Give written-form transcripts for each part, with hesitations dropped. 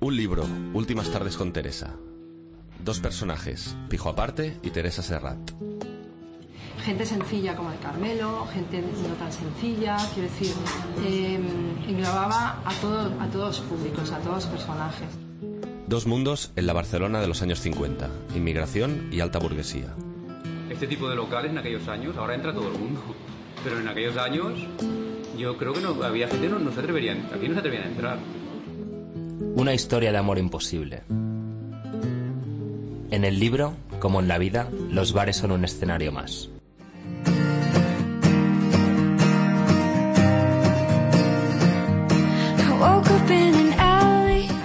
Un libro, Últimas tardes con Teresa. Dos personajes, Pijo Aparte y Teresa Serrat. Gente sencilla como el Carmelo, gente no tan sencilla, quiero decir, englobaba a todos los públicos, a todos los personajes. Dos mundos en la Barcelona de los años 50, inmigración y alta burguesía. Este tipo de locales en aquellos años, ahora entra todo el mundo, pero en aquellos años yo creo que no había gente no se atreverían, aquí no se atrevían a entrar. Una historia de amor imposible. En el libro, como en la vida, los bares son un escenario más.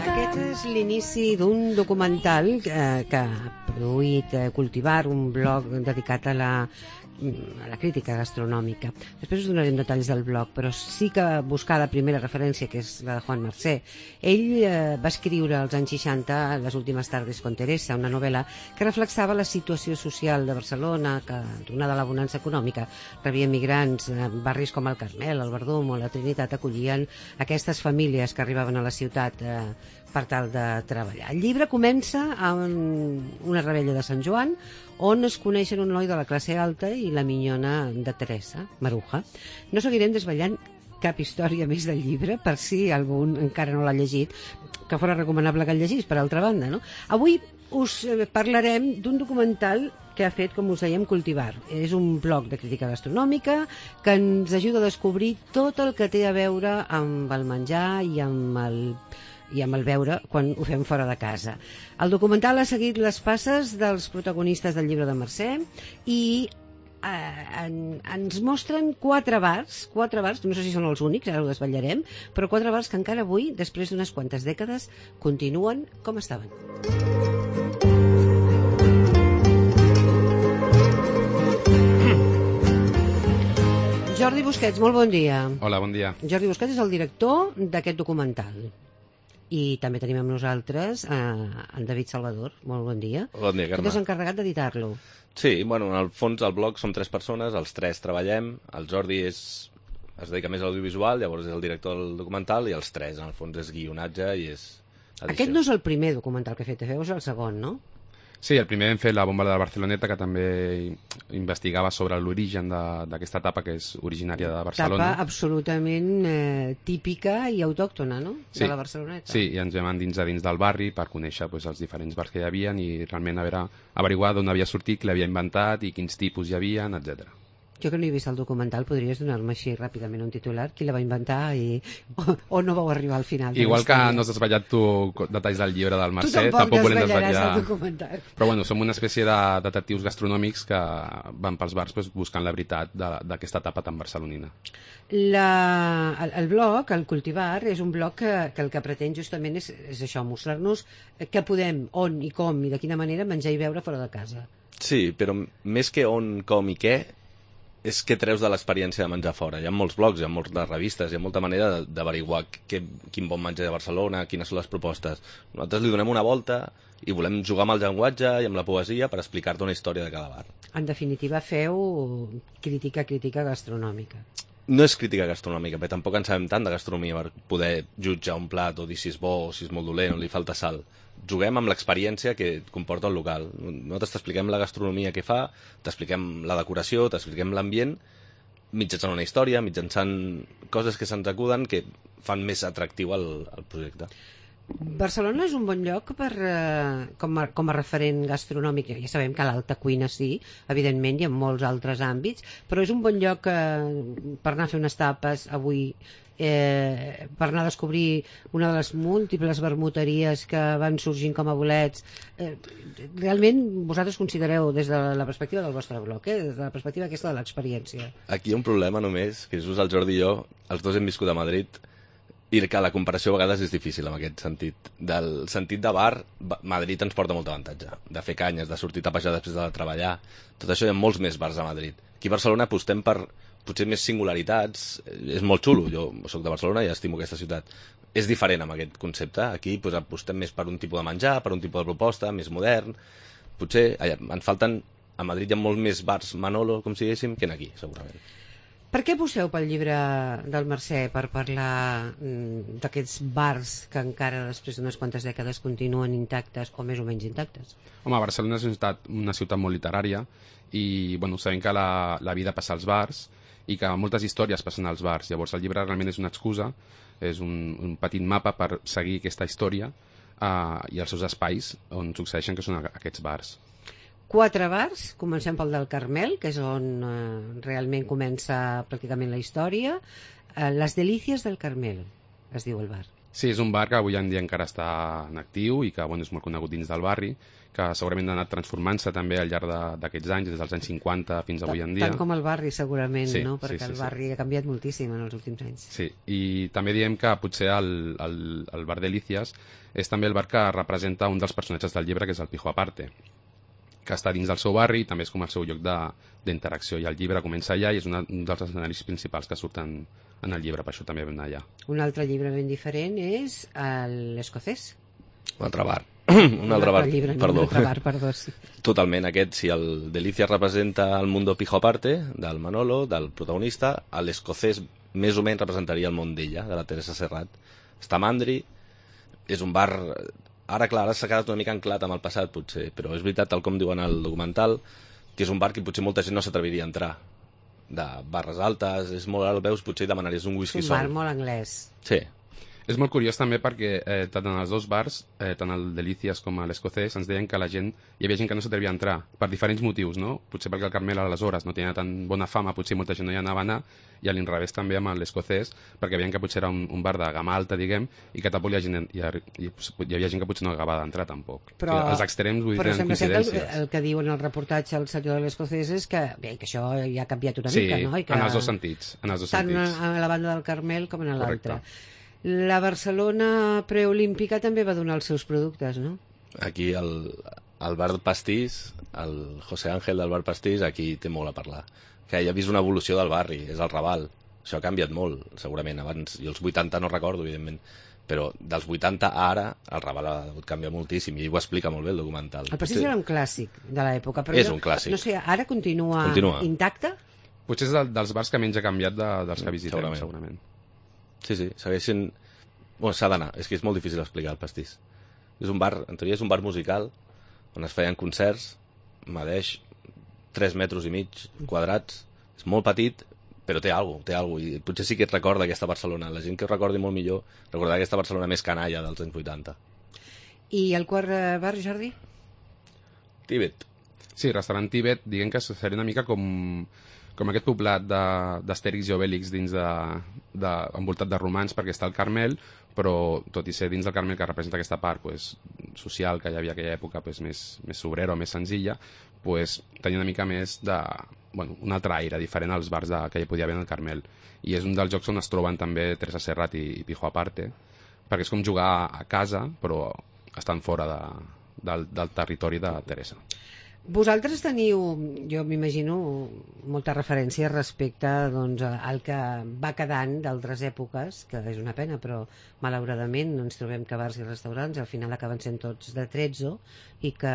Aquest és l'inici d'un documental que ha produït Cultivar, un blog dedicat a la crítica gastronòmica. Després us donarem detalls del blog, però sí que buscar la primera referència, que és la de Juan Mercé. Ell va escriure als anys 60 Les últimes tardes con Teresa, una novel·la que reflexava la situació social de Barcelona, que, donada la bonança econòmica, rebia migrants. Barris com el Carmel, el Verdum o la Trinitat acollien aquestes famílies que arribaven a la ciutat per tal de treballar. El llibre comença amb una rebella de Sant Joan, on es coneixen un noi de la classe alta i la minyona de Teresa, Maruja. No seguirem desvetllant cap història més del llibre, per si algú encara no l'ha llegit, que fora recomanable que el llegís, per altra banda, no? Avui us parlarem d'un documental que ha fet, com us dèiem, Cultivar. És un blog de crítica gastronòmica que ens ajuda a descobrir tot el que té a veure amb el menjar i amb el beure quan ho fem fora de casa. El documental ha seguit les passes dels protagonistes del llibre de Mercè i ens mostren quatre bars, no sé si són els únics, ara ho desvetllarem, però quatre bars que encara avui, després d'unes quantes dècades, continuen com estaven. Jordi Busquets, molt bon dia. Hola, bon dia. Jordi Busquets és el director d'aquest documental. I també tenim amb nosaltres en David Salvador. Molt bon dia. Bon dia, Carme. Tu t'has encarregat d'editar-lo. Sí, bueno, en el fons el blog som 3 persones, els 3 treballem, el Jordi es dedica més a l'audiovisual, llavors és el director del documental, i els 3, en el fons, és guionatge i és edició. Aquest no és el primer documental que he fet, és el segon, no? Sí, el primer hem fet La bomba de la Barceloneta, que també investigava sobre l'origen d'aquesta etapa que és originària de Barcelona. Etapa absolutament típica i autòctona, no? Sí, de la Barceloneta. Sí, i ens vam endinsar dins del barri per conèixer els diferents bars que hi havia i realment averiguar d'on havia sortit, qui l'havia inventat i quins tipus hi havia, etc. Jo que no he vist el documental, podries donar-me així ràpidament un titular? Qui la va inventar o no vau arribar al final? Igual que no has desvetllat tu detalls del llibre del Mercè, tampoc volem desvetllar el documental. Però bueno, som una espècie de detectius gastronòmics que van pels bars buscant la veritat d'aquesta etapa tan barcelonina. El blog, el Cultivar, és un blog que el que pretén justament és això, mostrar-nos què podem, on i com i de quina manera menjar i beure fora de casa. Sí, però més que on, com i què, és què treus de l'experiència de menjar fora. Hi ha molts blogs, hi ha moltes revistes, hi ha molta manera d'averiguar quin bon menjar de Barcelona, quines són les propostes. Nosaltres li donem una volta i volem jugar amb el llenguatge i amb la poesia per explicar-te una història de cada bar. En definitiva, feu crítica gastronòmica. No és crítica gastronòmica, perquè tampoc en sabem tant de gastronomia per poder jutjar un plat o dir si és bo o si és molt dolent o li falta sal. Juguem amb l'experiència que comporta el local. Nosaltres t'expliquem la gastronomia que fa, t'expliquem la decoració, t'expliquem l'ambient, mitjançant una història, mitjançant coses que se'ns acuden que fan més atractiu el projecte. Barcelona és un bon lloc com a referent gastronòmic. Ja sabem que l'alta cuina sí, evidentment, i en molts altres àmbits, però és un bon lloc per anar a fer unes tapes avui, per anar a descobrir una de les múltiples vermuteries que van sorgint com a bolets. Realment vosaltres considereu des de la perspectiva del vostre blog, des de la perspectiva aquesta de l'experiència. Aquí hi ha un problema només, que just el Jordi i jo, els dos hem viscut a Madrid, i que la comparació a vegades és difícil en aquest sentit. Del sentit de bar, Madrid ens porta molt avantatge, de fer canyes, de sortir a tapejar després de treballar, tot això. Hi ha molts més bars a Madrid. Aquí a Barcelona apostem per potser més singularitats, és molt xulo, jo soc de Barcelona i estimo aquesta ciutat. És diferent amb aquest concepte, aquí apostem més per un tipus de menjar, per un tipus de proposta, més modern. Potser ens falten, a Madrid hi ha molts més bars Manolo, com si diguéssim, que aquí, segurament. Per què busqueu pel llibre del Mercè per parlar d'aquests bars que encara després d'unes quantes dècades continuen intactes o més o menys intactes? Home, Barcelona és una ciutat molt literària i bueno, sabem que la vida passa als bars i que moltes històries passen als bars. Llavors el llibre realment és una excusa, és un petit mapa per seguir aquesta història i els seus espais on succeeixen, que són aquests bars. 4 bars, comencem pel del Carmel, que és on realment comença pràcticament la història. Les Delícies del Carmel, es diu el bar. Sí, és un bar que avui en dia encara està en actiu i que bueno, és molt conegut dins del barri, que segurament ha anat transformant-se també al llarg d'aquests anys, des dels anys 50 fins avui en dia. Tant com el barri, segurament, sí, no? Perquè sí, el barri ha canviat moltíssim en els últims anys. Sí, i també diem que potser el bar Delícies és també el bar que representa un dels personatges del llibre, que és el Pijo Aparte, que està dins del seu barri i també és com el seu lloc d'interacció. I el llibre comença allà i és un dels escenaris principals que surten en el llibre, per això també vam anar allà. Un altre llibre ben diferent és l'Escocès. Un altre bar. Un altre bar, perdó, sí. Totalment, aquest, si el Delicias representa el Mundo Pijo Aparte, del Manolo, del protagonista, l'Escocès més o menys representaria el món d'ella, de la Teresa Serrat. Està a Mandri, és un bar... Ara, clar, ara s'ha quedat una mica anclat amb el passat, potser, però és veritat, tal com diuen al documental, que és un bar que potser molta gent no s'atreviria a entrar. De barres altes, és molt alt, veus, potser demanaries un whisky sol. És un bar molt anglès. Sí. És molt curiós també perquè tant en els dos bars, tant el Delicias com l'Escocès, ens deien que hi havia gent que no s'atrevia a entrar, per diferents motius, no? Potser perquè el Carmel aleshores no tenia tan bona fama, potser molta gent no hi anava a anar, i a l'inrevés també amb l'Escocès, perquè veien que potser era un bar de gamma alta, diguem, i que tampoc hi havia gent que potser no acabava d'entrar tampoc. Però, o sigui, els extrems vull dir, però tenen sembla coincidències. que el que diu en el reportatge el senyor de l'Escocès és que, bé, que això ja ha canviat una mica, no? I que, en els dos sentits. Tant a la banda del Carmel com a l'altra. La Barcelona preolímpica també va donar els seus productes, no? Aquí el bar Pastís, el José Ángel del bar Pastís, aquí té molt a parlar. Que ja ha vist una evolució del barri, és el Raval. Això ha canviat molt, segurament. Abans, jo els 80 no recordo, evidentment, però dels 80 a ara el Raval ha hagut canviar moltíssim i ell ho explica molt bé el documental. El Pastís era un clàssic de l'època, però és un clàssic. No sé, ara continua intacte? Potser és dels bars que menys ha canviat dels que visitem, segurament. Sí, segueixen... Bueno, s'ha d'anar, és que és molt difícil explicar el Pastís. És un bar, en teoria és un bar musical, on es feien concerts, medeix 3 metres i mig quadrats, és molt petit, però té alguna cosa, i potser sí que et recorda aquesta Barcelona. La gent que ho recordi molt millor recordarà aquesta Barcelona més canalla dels anys 80. I el quart bar, Jordi? Tibet. Sí, restaurant Tibet, diguem que seria una mica com aquest poblat d'Astèrix i Obèlix dins envoltat de romans, perquè està al Carmel, però tot i ser dins del Carmel que representa aquesta part social que hi havia aquella època més obrera o més senzilla, tenia una mica més un altre aire diferent als bars que hi podia haver al Carmel. I és un dels jocs on es troben també Teresa Serrat i Pijo Aparte, perquè és com jugar a casa però estan fora del territori de Teresa. Vosaltres teniu, jo m'imagino, molta referència respecte al que va quedant d'altres èpoques, que és una pena, però malauradament ens trobem que bars i restaurants al final acaben sent tots de trezzo i que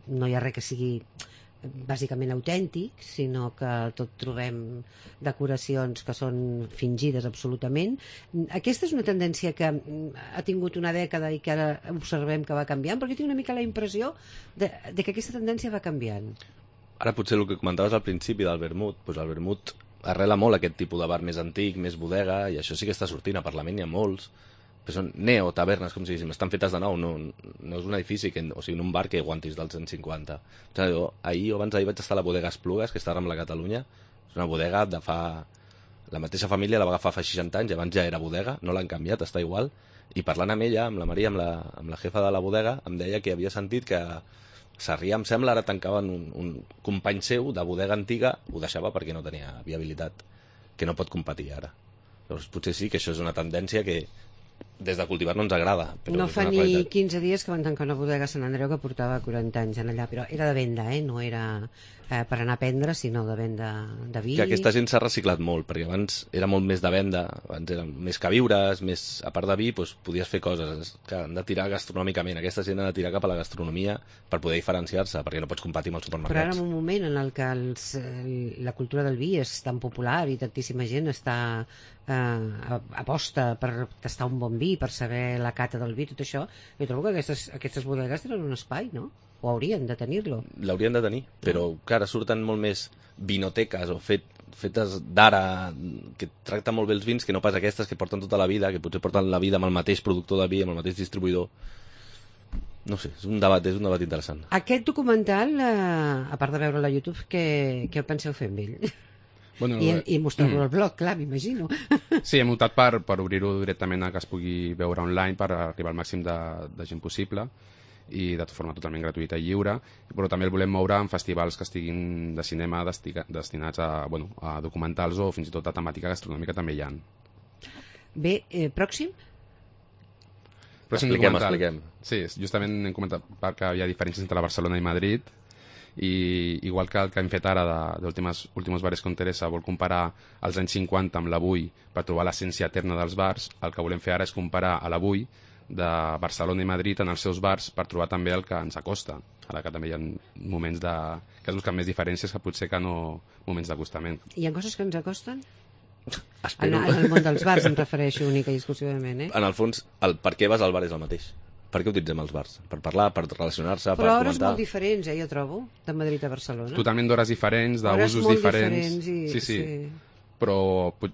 no hi ha res que sigui bàsicament autèntic, sinó que tot trobem decoracions que són fingides absolutament. Aquesta és una tendència que ha tingut una dècada i que ara observem que va canviant, perquè tinc una mica la impressió de que aquesta tendència va canviant. Ara potser el que comentaves al principi del vermut, doncs el vermut arrela molt aquest tipus de bar més antic, més bodega, i això sí que està sortint, a Parlament hi ha molts, que són neotavernes, com si diguéssim, estan fetes de nou, no és un edifici, o sigui, un bar que aguantis dels anys 50. Ahir o abans d'ahir vaig estar a la bodega Esplugues, que està a Rambla Catalunya, és una bodega de fa... La mateixa família la va agafar fa 60 anys, abans ja era bodega, no l'han canviat, està igual, i parlant amb ella, amb la Maria, amb la jefa de la bodega, em deia que havia sentit que Sarrià, em sembla, ara tancaven un company seu de bodega antiga, ho deixava perquè no tenia viabilitat, que no pot competir ara. Llavors potser sí que això és una tendència que des de cultivar no ens agrada. Però No és fa una ni qualitat. 15 dies que van tancar una bodega a Sant Andreu que portava 40 anys en allà, però era de venda, no era per anar a prendre, sinó de venda de vi. Que aquesta gent s'ha reciclat molt, perquè abans era molt més de venda, abans eren més queviures, més, a part de vi, doncs, podies fer coses que han de tirar gastronòmicament. Aquesta gent ha de tirar cap a la gastronomia per poder diferenciar-se, perquè no pots competir amb els Però ara supermercats. en un moment en el que la cultura del vi és tan popular i tantíssima gent està aposta per tastar un bon vi, per saber la cata del vi, tot això, jo trobo que aquestes bodegues tenen un espai, no? O haurien de tenir-lo. L'haurien de tenir, però que ara surten molt més vinoteques o fetes d'ara, que tracten molt bé els vins, que no pas aquestes que porten tota la vida, que potser porten la vida amb el mateix productor de vi, amb el mateix distribuïdor. No sé, és un debat interessant. Aquest documental, a part de veure-lo a YouTube, què penseu fer amb ell? Bueno, I mostrar-lo al blog, clar, m'imagino. Sí, hem optat per obrir-ho directament a que es pugui veure online per arribar al màxim de gent possible i de forma totalment gratuïta i lliure, però també el volem moure en festivals que estiguin de cinema destinats a documentals o fins i tot a temàtica gastronòmica també hi ha. Bé, pròxim? Expliquem. Sí, justament hem comentat que hi ha diferències entre Barcelona i Madrid, i igual que el que hem fet ara d'Últimos Bares con Teresa vol comparar els anys 50 amb l'avui per trobar l'essència eterna dels bars, el que volem fer ara és comparar a l'avui de Barcelona i Madrid en els seus bars per trobar també el que ens acosta, ara que també hi ha moments que es busquen més diferències que potser que no moments d'acostament. Hi ha coses que ens acosten? Espero. En el món dels bars em refereixo única i exclusivament, En el fons, el per què vas al bar és el mateix. Per què utilitzem els bars? Per parlar, per relacionar-se, per Però comentar. hores molt diferents, jo trobo, de Madrid a Barcelona. Totalment d'hores diferents, Hores d'usos molt diferents. diferents Sí. Però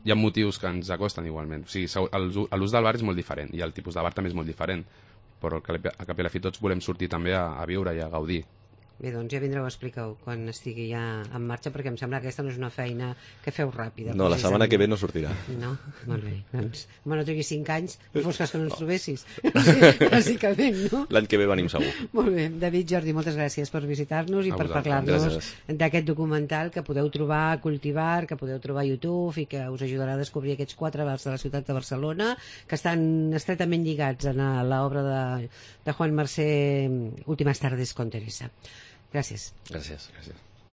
hi ha motius que ens acosten igualment. O sigui, l'ús del bar és molt diferent i el tipus de bar també és molt diferent, però a cap i a la fi tots volem sortir també a viure i a gaudir. Bé, doncs ja vindreu a explicar-ho quan estigui ja en marxa, perquè em sembla que aquesta no és una feina que feu ràpida. No, la setmana que ve no sortirà. No? Molt bé. Doncs, no triguis 5 anys, no fos cas que no ens trobessis. Bàsicament, no? L'any que ve venim segur. Molt bé. David, Jordi, moltes gràcies per visitar-nos i per parlar-nos Gràcies. d'aquest documental que podeu trobar a Cultivar, que podeu trobar a YouTube i que us ajudarà a descobrir aquests 4 bars de la ciutat de Barcelona que estan estretament lligats a l'obra de Juan Mercè, Últimas tardes con Teresa. Gràcies. Gràcies. Gràcies.